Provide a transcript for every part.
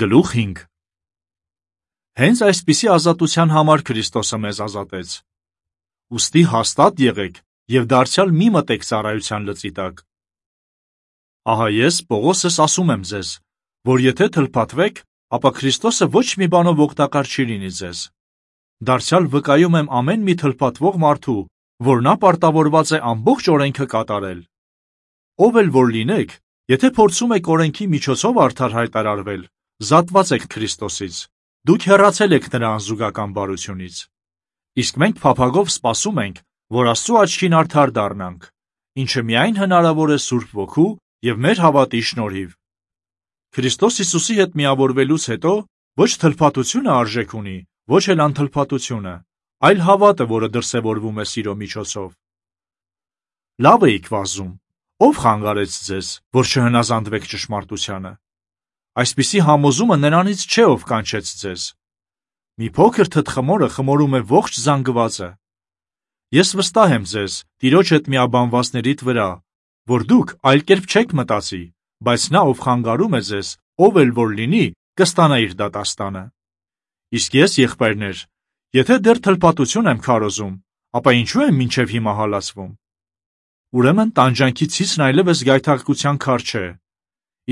Գլուխ 5 Հենց այսպիսի ազատության համար Քրիստոսը մեզ ազատեց։ Ուստի հաստատ եղեք և դարձյալ մի մտեք ծառայության լծի տակ։ Ահա ես, Պողոսս, ասում եմ ձեզ, որ եթե թլփատվեք, ապա Քրիստոսը ոչ մի բանով օգտակար չի լինի ձեզ։ Դարձյալ վկայում եմ ամեն մի թլփատվող մարդու, որ նա պարտավորված է ամբողջ օրենքը կատարել։ Ով էլ որ լինեք, եթե փորձում եք օրենքի միջոցով արդար հայտարարվել, զատված եք Քրիստոսից, դուք հեռացել եք նրա անզուգական բարությունից։ Իսկ մենք փափագով սպասում ենք, որ Աստծու աչքին արդար դառնանք, ինչը միայն հնարավոր է Սուրբ Ոգու և մեր հավատի շնորհիվ։ Քրիստոս Հիսուսի հետ միավորվելուց հետո ոչ թլփատությունը արժեք ունի, ոչ էլ անթլփատությունը, այլ հավատը, որը դրսևորվում է սիրո միջոցով։ Լավ էիք վազում, ով խանգարեց ձեզ, որ չհնազանդվեք ճշմարտությանը։ Այսպիսի համոզումը նրանից չէ, ով կանչեց ձեզ։ Մի փոքր թտխմորը խմորում է ողջ զանգվածը։ Ես վստահ եմ ձեզ, Տիրոջ հետ միաբանվածներիդ վրա, որ դուք այլ կերպ չեք մտածի, բայց նա, ով խանգարում է ձեզ, ով էլ որ լինի, կստանա իր դատաստանը։ Իսկ ես, եղբայրներ, եթե դեռ թլփատություն եմ քարոզում, ապա ինչու եմ մինչև հիմա հալածվում։ Ուրեմն տանջանքի ցիցն այլևս գայթակղության քար չէ։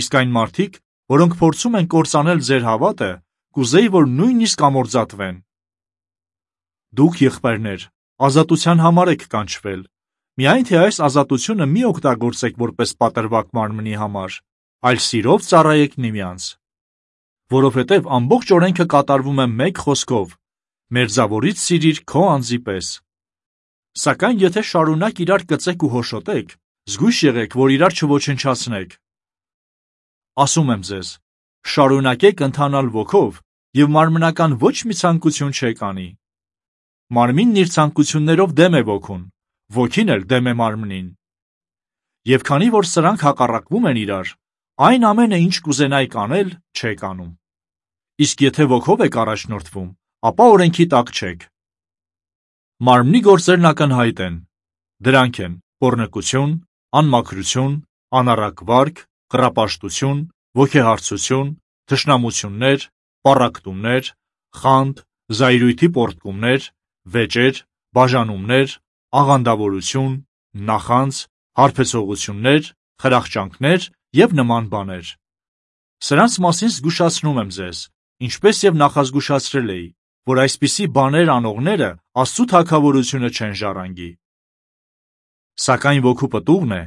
Իսկ այն մարդիկ, որոնք փորձում են կործանել ձեր հավատը, կուզեի, որ նույնիսկ ամորձատվեն։ Դուք, եղբայրներ, ազատության համար եք կանչվել, միայն թե այս ազատությունը մի օգտագործեք որպես պատրվակ մարմնի համար, այլ սիրով ծառայեք միմյանց։ Որովհետև ամբողջ օրենքը կատարվում է մեկ խոսքով. «Մերձավորիդ սիրիր քո անձի պես»։ Սակայն եթե շարունակ իրար կծեք ու հոշոտեք, զգույշ եղեք, որ իրար չոչնչացնեք։ Ասում եմ ձեզ, շարունակեք ընթանալ ոգով և մարմնական ոչ մի ցանկություն չեք անի։ Մարմինն իր ցանկություններով դեմ է ոգուն, ոգին էլ դեմ է մարմնին։ Եվ քանի որ սրանք հակառակվում են իրար, այն ամենը, ինչ կուզենայիք անել, չեք անում։ Իսկ եթե ոգով եք առաջնորդվում, ապա օրենքի տակ չեք։ Մարմնի գործերն ակնհայտ են։ Դրանք են պոռնկություն, անմաքրություն, անառակ վարք, կռապաշտություն, ոգեհարցություն, թշնամություններ, պառակտումներ, խանդ, զայրույթի պոռթկումներ, վեճեր, բաժանումներ, աղանդավորություն, նախանձ, հարբեցողություններ, խրախճանքներ և նման բաներ։ Սրանց մասին զգուշացնում եմ ձեզ, ինչպես և նախազգուշացրել էի, որ այսպիսի բաներ անողները Աստծու թագավորությունը չեն ժառանգի։ Սակայն ոգու պտուղն է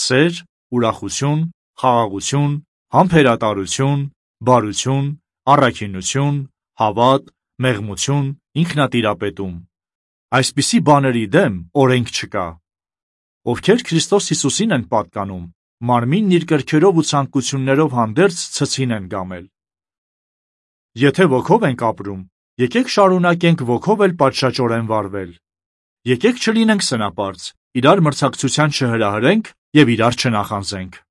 սեր, ուրախություն, խաղաղություն, համբերատարություն, բարություն, առաքինություն, հավատ, մեղմություն, ինքնատիրապետում։ Այսպիսի բաների դեմ օրենք չկա։ Ովքեր Քրիստոս Հիսուսին են պատկանում, մարմինն իր կրքերով ու ցանկություններով հանդերձ ցցին են գամել։ Եթե ոգով ենք ապրում, եկեք շարունակենք ոգով էլ պատշաճորեն վարվել։ Եկեք չլինենք սնապարծ, իրար մրցակցության չհրահրենք և իրար չնախանձենք։